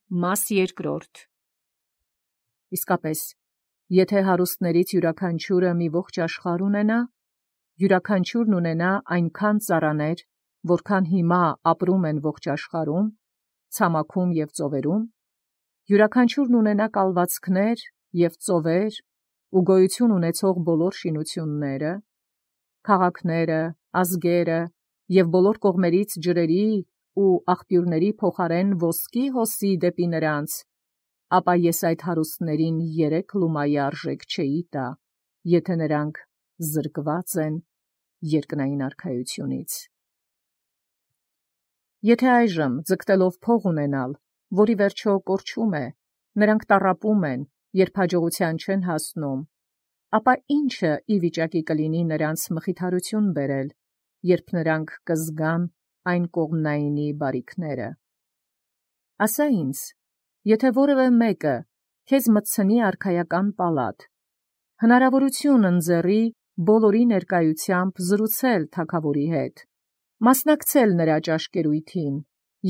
Մաս երկրորդ. Իսկապես, եթե հարուստներից յուրաքանչյուրը մի ողջ աշխարհ ունենա, յուրաքանչյուրն ունենա այնքան ծառաներ, որքան հիմա ապրում են ողջ աշխարհում, ցամաքում և ծովերում, յուրաքանչյուրն ունենա կալվածքներ և ծովեր ու գոյություն ունեցող բոլոր շինությունները, քաղաքները, ազգերը և բոլոր կողմերից ջրերի ու աղբյուրների փոխարեն ոսկի հոսի դեպի նրանց, ապա ես այդ հարուստներին 3 լումայի արժեք չէի տա, եթե նրանք զրկված են երկնային արքայությունից։ Եթե այժմ ձգտելով փող ունենալ, որի վերջո կորչում է, նրանք տառապում են, երբ հաջողության չեն հասնում, ապա ի՞նչը ի վիճակի կլինի նրանց մխիթարություն բերել, երբ նրանք կզգան այն կողմնայինի բարիքները։ Ասա ինձ, եթե որևէ մեկը քեզ մտցնի արքայական պալատ, հնարավորություն ընձեռի բոլորի ներկայությամբ զրուցել թագավորի հետ, մասնակցել նրա ճաշկերույթին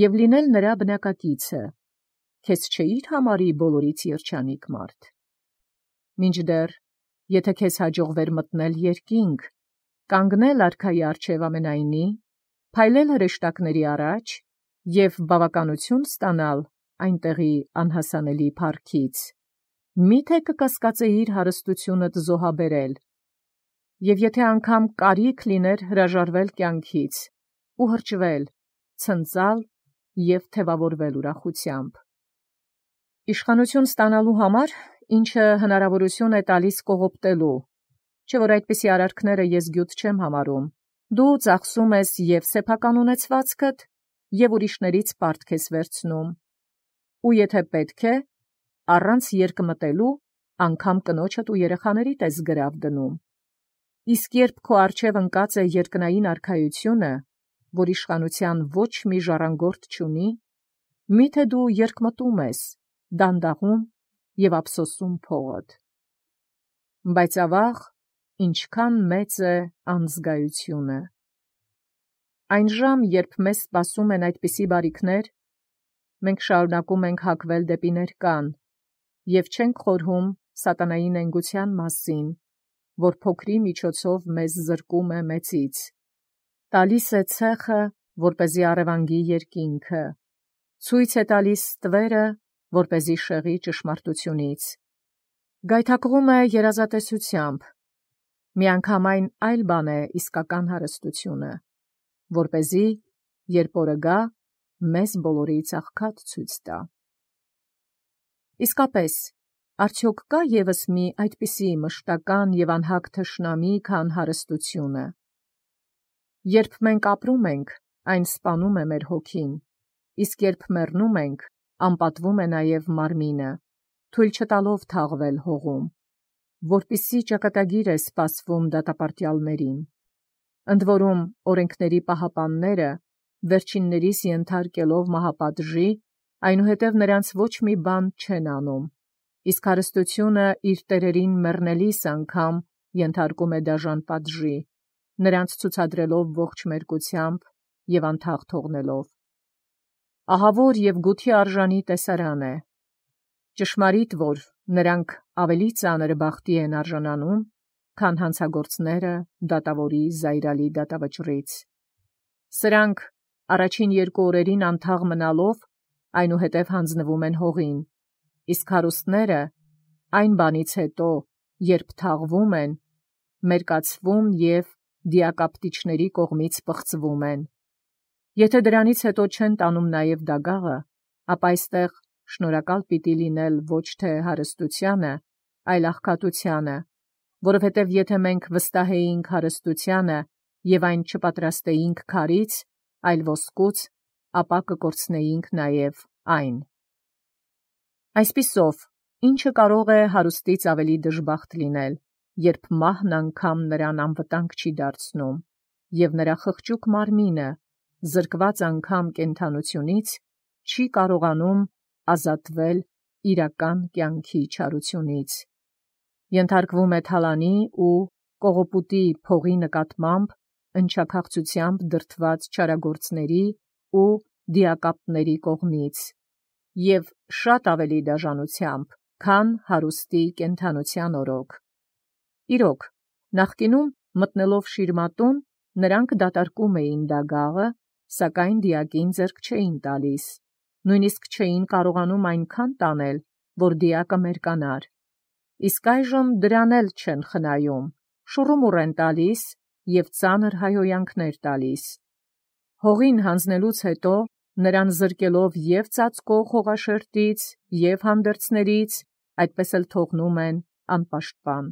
և լինել նրա բնակակիցը, քեզ չէի՞ր համարի բոլորից երջանիկ մարդ։ Մինչդեռ, եթե քեզ հաջողվեր մտնել երկինք, կանգնել արքայի առջև ամենայնի, փայլել հրեշտակների առաջ և բավականություն ստանալ այնտեղի անհասանելի փառքից, մի՞թե կկասկածեիր հարստությունդ զոհաբերել, և եթե անգամ կարիք լիներ հրաժարվել կյանքից ու հրճվել, ցնծալ և թևավորվել ուրախությամբ։ Իշխանություն ստանալու համար, ինչը հնարավորություն է տալիս կողոպտելու, չէ՞ որ այդպիսի արարքները ես գյուտ չեմ համարում, դու ծախսում ես և սեփական ունեցվածքդ, և ուրիշներից պարտք ես վերցնում, ու եթե պետք է, առանց երկմտելու, անգամ կնոջդ ու երեխաներիդ ես գրավ դնում, իսկ երբ քո առջև ընկած է երկնային արքայությունը, որ իշխանության ոչ մի ժառանգորդ չունի, մի՞թե դու երկմտում ես, դանդաղում և ափսոսում փողդ։ Բայց ավաղ, ինչքան մեծ է անզգայությունը։ Այն ժամ, երբ մեզ սպասում են այդպիսի բարիքներ, մենք շարունակում ենք հակվել դեպի ներկան և չենք խորհում սատանայի նենգության մասին, որ փոքրի միջոցով մեզ զրկում է մեծից, տալիս է ցեխը, որպեսզի առևանգի երկինքը, ցույց է տալիս ստվերը, որպեսզի շեղի ճշմարտությունից, գայթակղում է երազատեսությամբ, միանգամայն այլ բան է իսկական հարստությունը, որպեսզի, երբ օրը գա, մեզ բոլորից աղքատ ցույց տա։ Իսկապես, արդյոք կա ևս մի այդպիսի մշտական և անհագ թշնամի, քան հարստությունը։ Երբ մենք ապրում ենք, այն սպանում է մեր հոգին, իսկ երբ մեռնում ենք, անպատվում է նաև մարմինը, թույլ չտալով թաղվել հողում, որպիսի ճակատագիր է սպասվում դատապարտյալներին։ Ընդ որում, օրենքների պահապանները, վերջիններիս ենթարկելով մահապատժի, այնուհետև նրանց ոչ մի բան չեն անում, իսկ հարստությունը իր տերերին մեռնելիս անգամ ենթարկում է դաժան պատժի, նրանց ցուցադրելով ողջ մերկությամբ և անթաղ թողնելով։ Ահավոր և գութի արժանի տեսարան է։ Ճշմարիտ, որ նրանք ավելի ծանր բախտի են արժանանում, քան հանցագործները դատավորի զայրալի դատավճռից։ Սրանք առաջին 2 օրերին անթաղ մնալով, այնուհետև հանձնվում են հողին, իսկ հարուստները այն բանից հետո, երբ թաղվում են, մերկացվում և դիակապտիչների կողմից պղծվում են։ Եթե դրանից հետո չեն տանում նաև դագաղը, ապա այստեղ շնորհակալ պիտի լինել ոչ թե հարստությանը, այլ աղքատությանը, որովհետև եթե մենք վստահեինք հարստությանը և այն չպատրաստեինք քարից, այլ ոսկուց, ապա կկորցնեինք նաև այն։ Այսպիսով, ի՞նչը կարող է հարուստից ավելի դժբախտ լինել, երբ մահն անգամ նրան անվտանգ չի դարձնում, և նրա խղճուկ մարմինը, զրկված անգամ կենդանությունից, չի կարողանում ազատվել իրական կյանքի չարությունից, ենթարկվում է թալանի ու կողոպուտի փողի նկատմամբ ընչաքաղցությամբ դրդված չարագործների ու դիակապների կողմից, և շատ ավելի դաժանությամբ, քան հարուստի կենդանության օրոք։ Իրոք, նախկինում մտնելով շիրմատուն, նրանք դատարկում էին դագաղը, սակայն դիակին ձեռք չէին տալիս, նույնիսկ չէին կարողանում այնքան տանել, որ դիակը մերկանար։ Իսկ այժմ դրան էլ չեն խնայում, շուռումուռ են տալիս և ծանր հայհոյանքներ տալիս։ Հողին հանձնելուց հետո նրան զրկելով և ծածկող հողաշերտից, և հանդերձներից, այդպես էլ թողնում են անպաշտպան։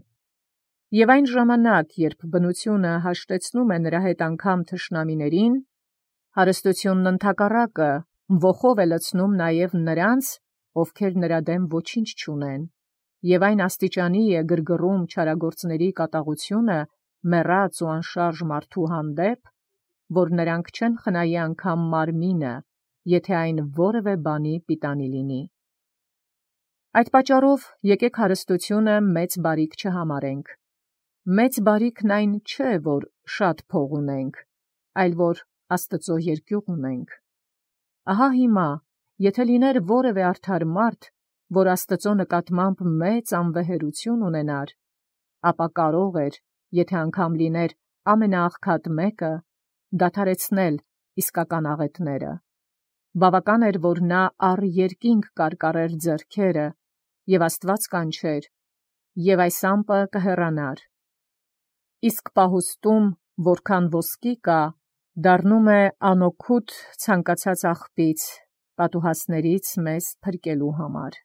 Եվ այն ժամանակ, երբ բնությունը հաշտեցնում է նրա հետ անգամ թշնամիներին, հարստությունն ընդհակառակը ոխով է լցնում նաև նրանց, ովքեր նրա դեմ ոչինչ չունեն, և այն աստիճանի է գրգռում չարագործների կատաղությունը մեռած ու անշարժ մարդու հանդեպ, որ նրանք չեն խնայի անգամ մարմինը, եթե այն որևէ բանի պիտանի լինի։ Այդ պատճառով եկեք հարստությունը մեծ բարիք չհամարենք։ Մեծ բարիքն այն չէ, որ շատ փող ունենք, այլ որ Աստծո երկյուղ ունենք։ Ահա հիմա, եթե լիներ որևէ արդար մարդ, որ Աստծո նկատմամբ մեծ անվեհերություն ունենար, ապա կարող էր, եթե անգամ լիներ ամենաաղքատ մեկը, դադարեցնել իսկական աղետները։ Բավական էր, որ նա առ երկինք կարկառեր ձեռքերը, և Աստված կանչեր, և այս ամպը կհեռանար։ Իսկ պահուստում, որքան ոսկի կա, դառնում է անօգուտ ցանկացած աղբից, պատուհասներից մեզ փրկելու համար։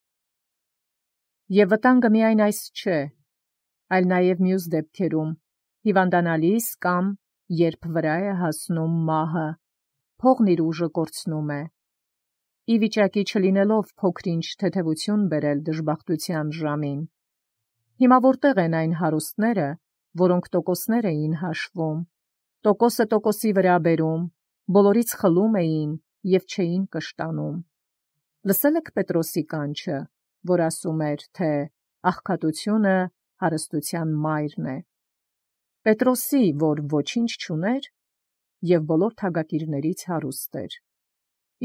Եվ վտանգը միայն այս չէ, այլ նաև մյուս դեպքերում, հիվանդանալիս կամ երբ վրա է հասնում մահը, փողն իր ուժը կորցնում է։ Ի վիճակի չլինելով փոքր-ինչ թեթևություն բերել դժբախտության ժամին։ Հիմա որտեղ են այն հարուստները, որոնք տոկոսներ էին հաշվում, տոկոսը տոկոսի վրա բերում, բոլորից խլում էին և չէին կշտանում։ Լսել եք Պետրոսի կանչը, որ ասում էր, թե աղքատությունը հարստության մայրն է։ Պետրոսի, որ ոչինչ չուներ, և բոլոր թագակիրներից հարուստ էր։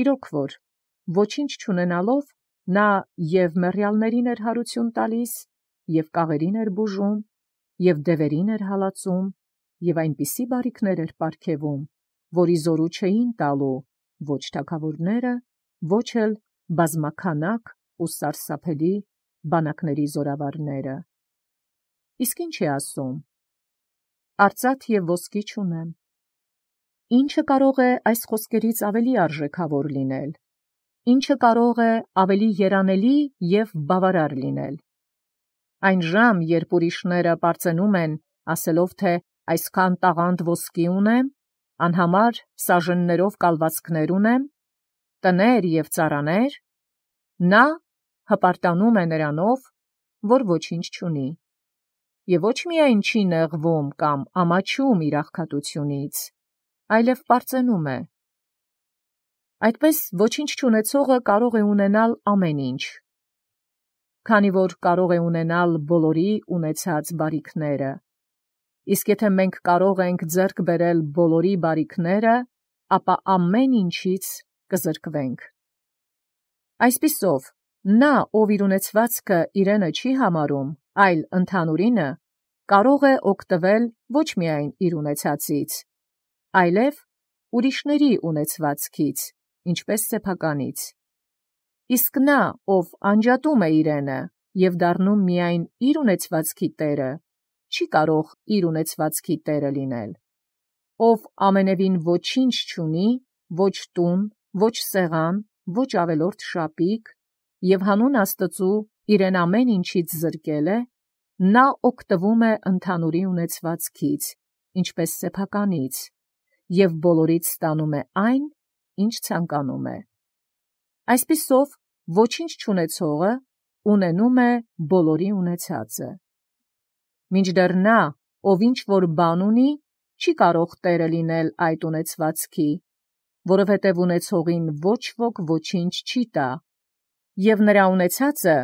Իրոք որ, ոչինչ չունենալով, նա և մեռյալներին էր հարություն տալիս, և կաղերին էր բուժում, և դևերին էր հալածում, և այնպիսի բարիքներ էր պարգևում, որի զորու չէին տալու ոչ թագավորները, ոչ էլ բազմաքանակ ու սարսափելի բանակների զորավարները։ Իսկ ինչ է ասում. «Արծաթ և ոսկի չունեմ»։ Ինչը կարող է այս խոսքերից ավելի արժեքավոր լինել, ինչը կարող է ավելի երանելի և բավարար լինել։ Այն ժամ, երբ ուրիշները պարծենում են, ասելով, թե այսքան տաղանդ ոսկի ունեմ, անհամար սաժեններով կալվածքներ ունեմ, տներ և ծառաներ, նա հպարտանում է նրանով, որ ոչինչ չունի, և ոչ միայն չի նեղվում կամ ամաչում իր աղքատությունից, այլև պարծենում է։ Այդպես ոչինչ չունեցողը կարող է ունենալ ամեն ինչ, քանի որ կարող է ունենալ բոլորի ունեցած բարիքները, իսկ եթե մենք կարող ենք ձեռք բերել բոլորի բարիքները, ապա ամեն ինչից կզրկվենք։ Այսպիսով, նա, ով իր ունեցվածքը իրենը չի համարում, այլ ընդհանուրինը, կարող է օգտվել ոչ միայն իր ունեցածից, այլև ուրիշների ունեցվածքից, ինչպես սեփականից։ Իսկ նա, ով անջատում է իրենը և դառնում միայն իր ունեցվածքի տերը, չի կարող իր ունեցվածքի տերը լինել։ Ով ամենևին ոչինչ չունի, ոչ տուն, ոչ սեղան, ոչ ավելորդ շապիկ, և հանուն Աստծու իրեն ամեն ինչից զրկել է, նա օգտվում է ընդհանուրի ունեցվածքից, ինչպես սեփականից, և բոլորից ստանում է այն, ինչ ցանկանում է։ Այսպիսով, ոչինչ չունեցողը ունենում է բոլորի ունեցածը։ Մինչդեռ նա, ով ինչ-որ բան ունի, չի կարող տերը լինել այդ ունեցվածքի, որովհետև ունեցողին ոչ ոք ոչինչ չի տա, և նրա ունեցածը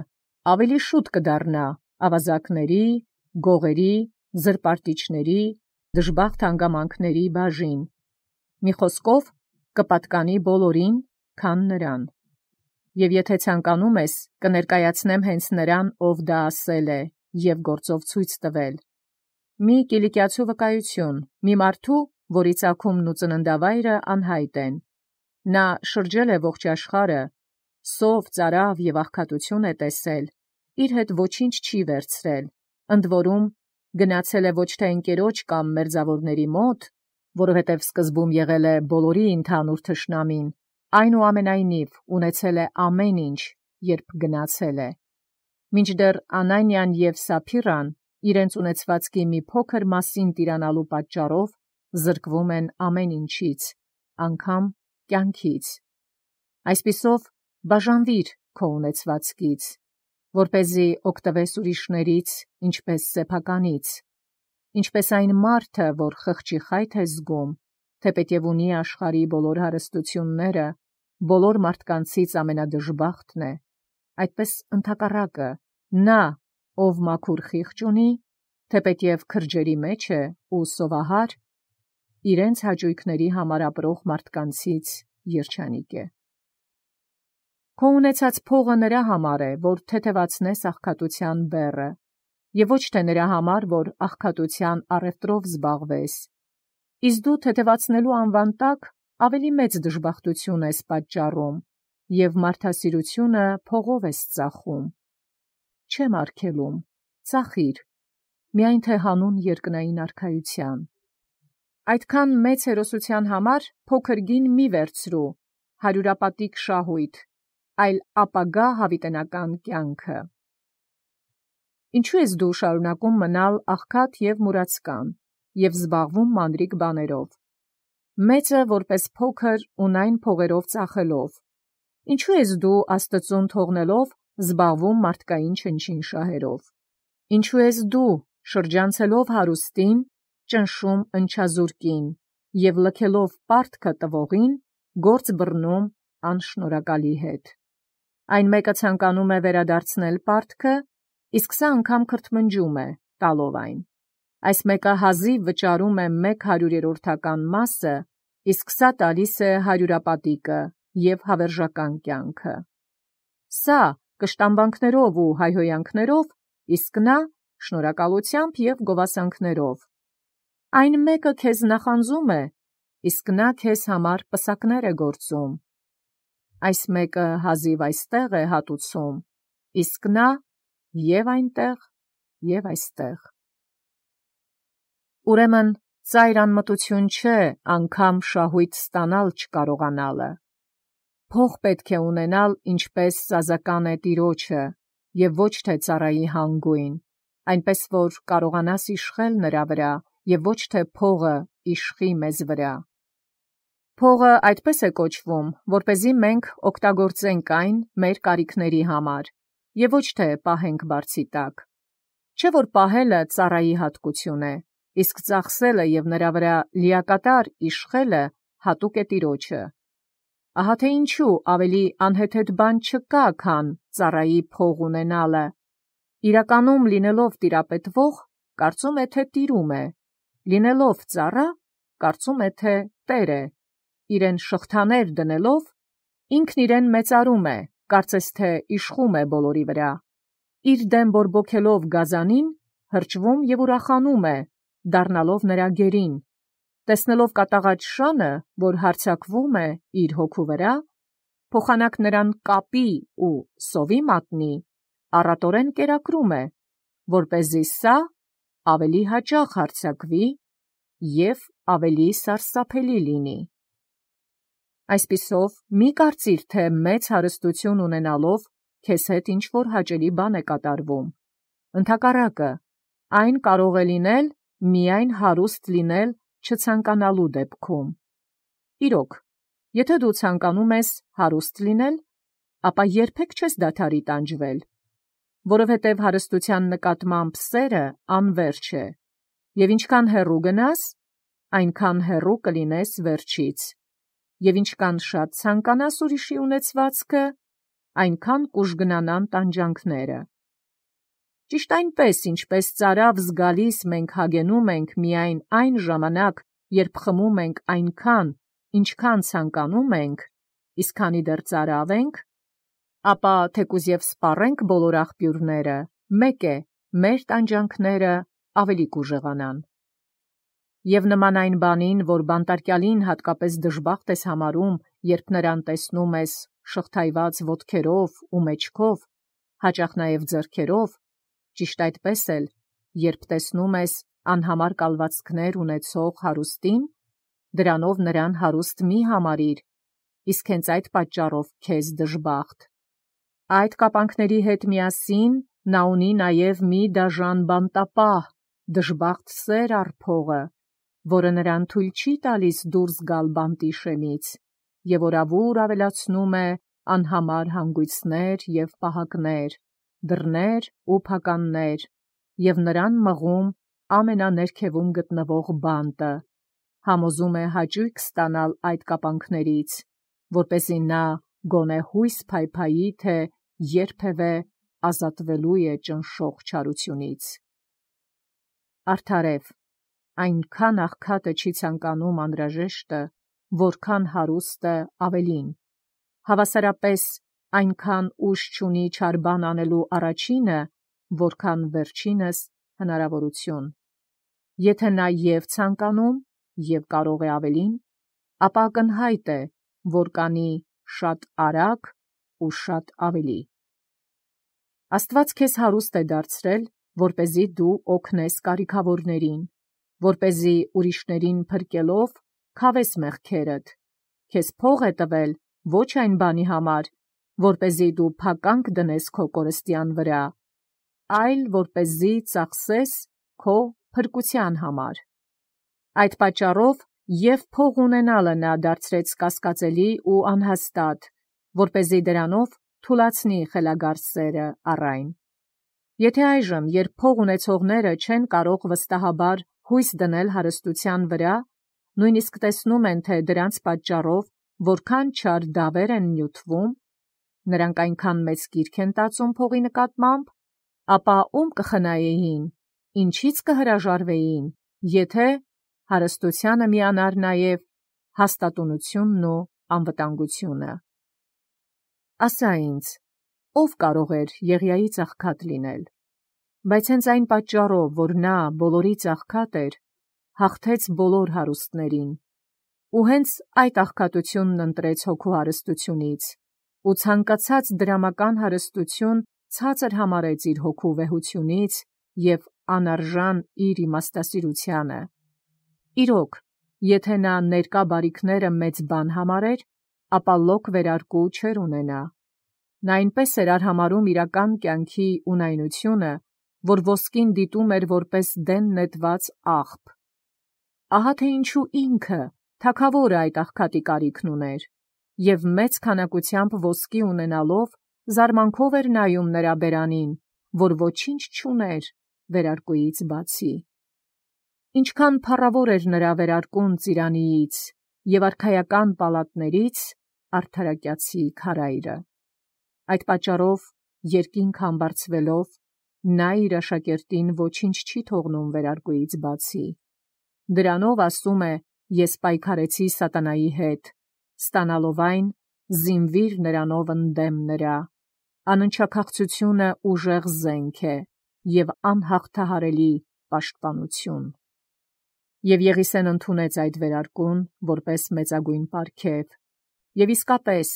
ավելի շուտ կդառնա ավազակների, գողերի, զրպարտիչների, դժբախտ հանգամանքների բաժին, մի խոսքով, կպատկանի բոլորին, քան նրան։ Եւ եթե ցանկանում ես, կներկայացնեմ հենց նրան, ով դա ասել է, եւ գործով ցույց տվել։ Մի կիլիկիացու վկայություն, մի մարդու, որի ծագումն ու ծննդավայրը անհայտ են։ Նա շրջել է ողջ աշխարհը, սով, ծարավ եւ աղքատություն է տեսել, իր հետ ոչինչ չի վերցրել, ընդ որում գնացել է ոչ թե ընկերոջ կամ մերձավորների մոտ, որովհետև սկզբում եղել է բոլորի ընդհանուր թշնամին, այնուամենայնիվ ունեցել է ամեն ինչ, երբ գնացել է։ Մինչդեռ Անանիան եւ Սափիրան իրենց ունեցվածքի մի փոքր մասին տիրանալու պատճառով զրկվում են ամեն ինչից, անգամ կյանքից։ Այսպիսով բաժանվիր քո ունեցվածքից, որպեսզի օգտվես ուրիշներից, ինչպես սեփականից, ինչպես այն մարդը, որ խղճի խայթ է զգում, թեպետև ունի աշխարհի բոլոր հարստությունները, բոլոր մարդկանցից ամենադժբախտն է, այդպես ընդհակառակը, նա, ով մաքուր խիղճ ունի, թեպետև քրջերի մեջ է ու սովահար, իրենց հաճույքների համար ապրող մարդկանցից երջանիկ է։ Քո ունեցած փողը նրա համար է, որ թեթևացնես աղքատության բեռը, եւ ոչ թե նրա համար, որ աղքատության առևտրով զբաղվես։ Իսկ դու թեթևացնելու անվան տակ ավելի մեծ դժբախտություն ես պատճառում, եւ մարդասիրությունը փողով ես ծախում։ Չեմ արգելում, ծախիր, միայն թե հանուն երկնային արքայության։ Այդքան մեծ հերոսության համար փոքր գին մի վերցրու, հարյուրապատիկ շահույթ, այլ ապագա հավիտենական կյանքը։ Ինչու ես դու շարունակում մնալ աղքատ եւ մուրացկան եւ զբաղվում մանրիկ բաներով, մեծը որպես փոքր ունայն փողերով ծախելով, ինչու ես դու Աստծուն թողնելով զբաղվում մարդկային չնչին շահերով, ինչու ես դու շրջանցելով հարուստին ճնշում ընչազուրկին եւ լքելով պարտքը տվողին գործ բռնում անշնորհակալի հետ։ Այն մեկը ցանկանում է վերադարձնել պարտքը, իսկ սա անգամ քրթմնջում է, տալով այն։ Այս մեկը հազիվ վճարում է 100-րդական մասը, իսկ սա տալիս է հարյուրապատիկը եւ հավերժական կյանքը։ Սա կշտամբանքներով ու հայհոյանքներով, իսկ նա շնորհակալությամբ եւ գովասանքներով։ Այն մեկը քեզ նախանձում է, իսկ նա քեզ համար պսակներ է գործում։ Այս մեկը հազիվ այստեղ է հատուցում, իսկ նա եւ այնտեղ, եւ այստեղ։ Ուրեմն ծայր անմտություն չէ անգամ շահույթ ստանալ չկարողանալը։ Փող պետք է ունենալ, ինչպես սազական է տիրոջը, եւ ոչ թե ծառայի հանգույն, այնպես որ կարողանաս իշխել նրա վրա, եւ ոչ թե փողը իշխի մեզ վրա։ Փողը այդպես է կոչվում, որպեսզի մենք օգտագործենք այն մեր կարիքների համար, եւ ոչ թե պահենք բարձի տակ։ Չէ որ պահելը ծառայի հատկություն է, իսկ ծախսելը եւ նրա վրա լիակատար իշխելը հատուկ է տիրոջը։ Ահա թե ինչու ավելի անհեթեթ բան չկա, քան ծառայի փող ունենալը։ Իրականում լինելով տիրապետվող, կարծում է, թե տիրում է, լինելով ծառա, կարծում է, թե տեր է, իրեն շղթաներ դնելով, ինքն իրեն մեծարում է, կարծես թե իշխում է բոլորի վրա, իր դեմ բորբոքելով գազանին, հրճվում եւ ուրախանում է, դառնալով նրա գերին, տեսնելով կատաղած շանը, որ հարձակվում է իր հոգու վրա, փոխանակ նրան կապի ու սովի մատնի, առատորեն կերակրում է, որպեսզի սա ավելի հաճախ հարձակվի եւ ավելի սարսափելի լինի։ Այսպիսով, մի կարծիր, թե մեծ հարստություն ունենալով քեզ հետ ինչ-որ հաճելի բան է կատարվում։ Ընդհակառակը, այն կարող է լինել միայն հարուստ լինել չցանկանալու դեպքում։ Իրոք, եթե դու ցանկանում ես հարուստ լինել, ապա երբեք չես դադարի տանջվել, որովհետև հարստության նկատմամբ սերը անվերջ է, եւ ինչքան հեռու գնաս, այնքան հեռու կլինես վերջից, եւ ինչքան շատ ցանկանաս ուրիշի ունեցվածքը, այնքան կուժգնանան տանջանքները։ Ճիշտ այնպես, ինչպես ծարավ զգալիս մենք հագենում ենք միայն այն ժամանակ, երբ խմում ենք այնքան, ինչքան ցանկանում ենք, իսկ քանի դեռ ծարավ ենք, Ապա թեկուզ եւ սպառենք բոլոր աղբյուրները, մեկ է, մեր տանջանքները ավելի կուժեղանան։ Եվ նման այն բանին, որ բանտարկյալին հատկապես դժբախտ ես համարում, երբ նրան տեսնում ես շղթայված ոտքերով ու մեջքով, հաճախ նաև ձեռքերով, ճիշտ այդպես էլ, երբ տեսնում ես անհամար կալվածքներ ունեցող հարուստին, դրանով նրան հարուստ մի համարիր, իսկ հենց այդ պատճառով քեզ դժբախտ։ Այդ կապանքների հետ միասին նա ունի նաև մի դաժան բանտապահ, դժբախտ սեր առ փողը, որը նրան թույլ չի տալիս դուրս գալ բանտի շեմից, եւ օրավուր ավելացնում է անհամար հանգույցներ եւ պահակներ, դռներ ու փականներ, եւ նրան մղում ամենաներքևում գտնվող բանտը, համոզում է հաճույք ստանալ այդ կապանքներից, որպեսզի նա գոնե հույս փայփայի, թե երբևէ ազատվելու է ճնշող չարությունից։ Արդարև, այնքան աղքատը չի ցանկանում անհրաժեշտը, որքան հարուստը ավելին, հավասարապես այնքան ուժ չունի չար բան անելու առաջինը, որքան վերջինս հնարավորություն։ Եթե նա և ցանկանում, և կարող է ավելին, ապա ակնհայտ է, որ կանի շատ արագ ու շատ ավելի։ Աստված քեզ հարուստ է դարձրել, որպեսզի դու օգնես կարիքավորներին, որպեսզի ուրիշներին փրկելով քավես մեղքերդ, քեզ փող է տվել ոչ այն բանի համար, որպեսզի դու փականք դնես քո կորստյան վրա, այլ որպեսզի ծախսես քո փրկության համար։ Այդ պատճառով և փող ունենալը նա դարձրեց կասկածելի ու անհաստատ, որպեսզի դրանով թուլացնի խելագար սերը առ այն։ Եթե այժմ, երբ փող ունեցողները չեն կարող վստահաբար հույս դնել հարստության վրա, նույնիսկ տեսնում են, թե դրանց պատճառով որքան չար դավեր են նյութվում, նրանք այնքան մեծ կիրք են տածում փողի նկատմամբ, ապա ում կխնայեին, ինչից կհրաժարվեին, եթե հարստությանը միանար նաև հաստատունությունն ու անվտանգությունը։ Ասա ինձ, ով կարող էր Եղիայից աղքատ լինել, բայց հենց այն պատճառով, որ նա բոլորից աղքատ էր, հաղթեց բոլոր հարուստներին, ու հենց այդ աղքատությունն ընտրեց հոգու հարստությունից, ու ցանկացած դրամական հարստություն ցածր համարեց իր հոգու վեհությունից և անարժան իր իմաստասիրությանը։ Իրոք, եթե նա ներկա բարիքները մեծ բան համարեր, ապա լոկ վերարկու չէր ունենա։ Նա այնպես էր արհամարհում իրական կյանքի ունայնությունը, որ ոսկին դիտում էր որպես դեն նետված աղբ։ Ահա թե ինչու ինքը, թագավորը այդ աղքատի կարիքն ուներ, և մեծ քանակությամբ ոսկի ունենալով, զարմանքով էր նայում նրա բերանին, որ ոչինչ չուներ վերարկուից բացի։ Ինչքան փառավոր էր նրա վերարկուն ծիրանիից և արքայական պալատներից արդարակյացի քարայրը։ Այդ պատճառով, երկինք համբարձվելով, նա իր աշակերտին ոչինչ չի թողնում վերարկուից բացի։ Դրանով ասում է. «Ես պայքարեցի սատանայի հետ, ստանալով այն, զինվիր նրանով ընդդեմ նրա։ Անընդչաքաղցությունը ուժեղ զենք է և անհաղթահարելի պաշտպանություն»։ Եվ Եղիսեն ընդունեց այդ վերարկուն որպես մեծագույն պարգև, և իսկապես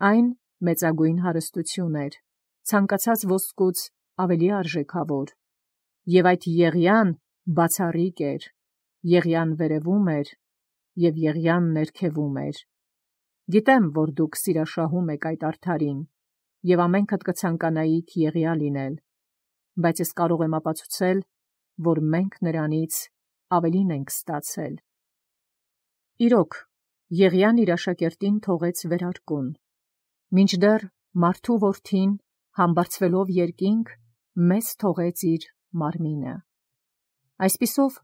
այն մեծագույն հարստություն էր, ցանկացած ոսկուց ավելի արժեքավոր, և այդ Եղիան բացառիկ էր, Եղիան վերևում էր, և Եղիան ներքևում էր։ Գիտեմ, որ դուք սիրաշահում եք այդ արդարին, և ամենքդ կցանկանայիք Եղիա լինել, բայց ես կարող եմ ապացուցել, որ մենք նրանից ավելին ենք ստացել։ Իրոք, Եղիան իր աշակերտին թողեց վերարկուն, մինչդեռ մարդու որդին, համբարձվելով երկինք, մեզ թողեց իր մարմինը։ Այսպիսով,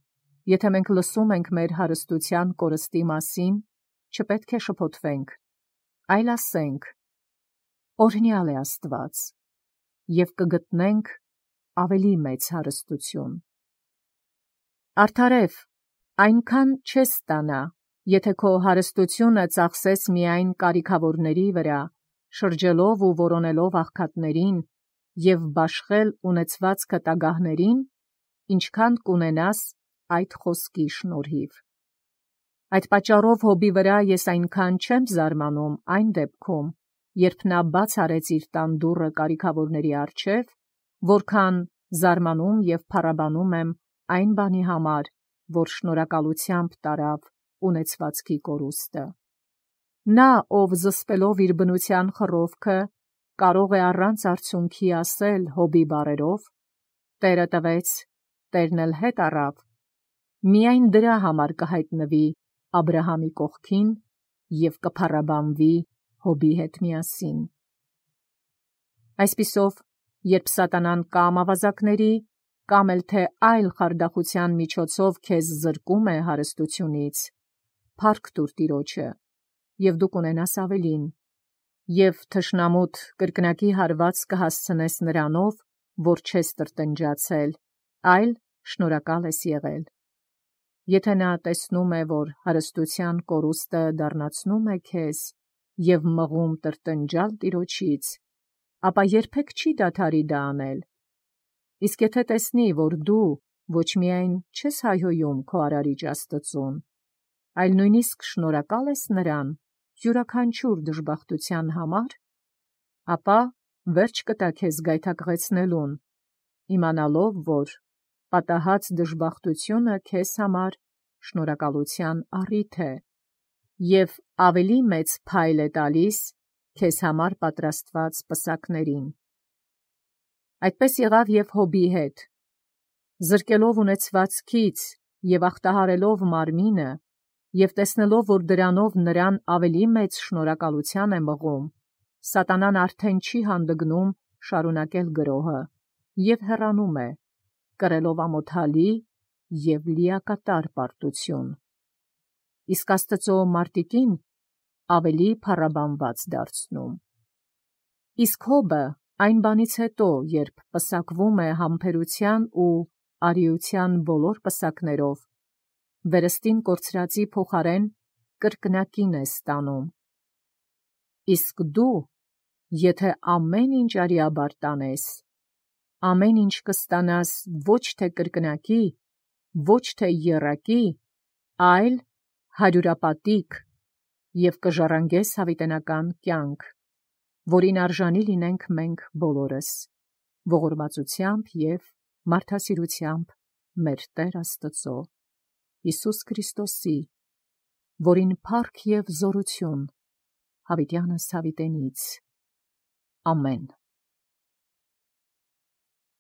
եթե մենք լսում ենք մեր հարստության կորստի մասին, չպետք է շփոթվենք, այլ ասենք. օրհնյալ է Աստված, և կգտնենք ավելի մեծ հարստություն։ Արդարև, այնքան չես ստանա, եթե քո հարստությունը ծախսես միայն կարիքավորների վրա, շրջելով ու որոնելով աղքատներին և բաշխել ունեցվածքը տագահներին, ինչքան կունենաս այդ խոսքի շնորհիվ։ Այդ պատճառով հոբի վրա ես այնքան չեմ զարմանում այն դեպքում, երբ նա բաց արեց իր տան դուռը կարիքավորների առջև, որքան զարմանում և փառաբանում եմ այն բանի համար, որ շնորհակալությամբ տարավ ունեցվածքի կորուստը։ Նա, ով զսպելով իր բնության խռովքը, կարող է առանց արցունքի ասել Հոբի բառերով. «Տերը տվեց, Տերն էլ հետ առավ», միայն դրա համար կհայտնվի Աբրահամի կողքին և կփառաբանվի Հոբի հետ միասին։ Այսպիսով, երբ սատանան կամ ավազակների, կամ էլ թե այլ խարդախության միջոցով քեզ զրկում է հարստությունից, փառք տուր Տիրոջը, և դու կունենաս ավելին, և թշնամուդ կրկնակի հարված կհասցնես նրանով, որ չես տրտնջացել, այլ շնորհակալ ես եղել։ Եթե նա տեսնում է, որ հարստության կորուստը դառնացնում է քեզ և մղում տրտնջալ Տիրոջից, ապա երբեք չի դադարի դա անել։ Իսկ եթե տեսնի, որ դու ոչ միայն չես հայհոյում քո արարիչ Աստծուն, այլ նույնիսկ շնորհակալ ես նրան յուրաքանչյուր դժբախտության համար, ապա վերջ կտա քեզ գայթակղեցնելուն, իմանալով, որ պատահած դժբախտությունը քեզ համար շնորհակալության առիթ է և ավելի մեծ փայլ է տալիս քեզ համար պատրաստված պսակներին։ Այդպես եղավ և Հոբի հետ. զրկելով ունեցվածքից և ախտահարելով մարմինը, և տեսնելով, որ դրանով նրան ավելի մեծ շնորհակալության է մղում, սատանան արդեն չի հանդգնում շարունակել գրոհը և հեռանում է, կրելով ամոթալի և լիակատար պարտություն, իսկ Աստծու մարտիկին ավելի փառաբանված դարձնում։ Իսկ Հոբը այն բանից հետո, երբ պսակվում է համբերության ու արիության բոլոր պսակներով, վերստին կորցրածի փոխարեն կրկնակին է ստանում։ Իսկ դու, եթե ամեն ինչ արիաբար տանես, ամեն ինչ կստանաս ոչ թե կրկնակի, ոչ թե եռակի, այլ հարյուրապատիկ և կժառանգես հավիտենական կյանք, որին արժանի լինենք մենք բոլորս, ողորմածությամբ և մարդասիրությամբ մեր Տեր Աստծո, Հիսուս Քրիստոսի, որին փառք և զորություն հավիտյանս հավիտենից։ Ամեն։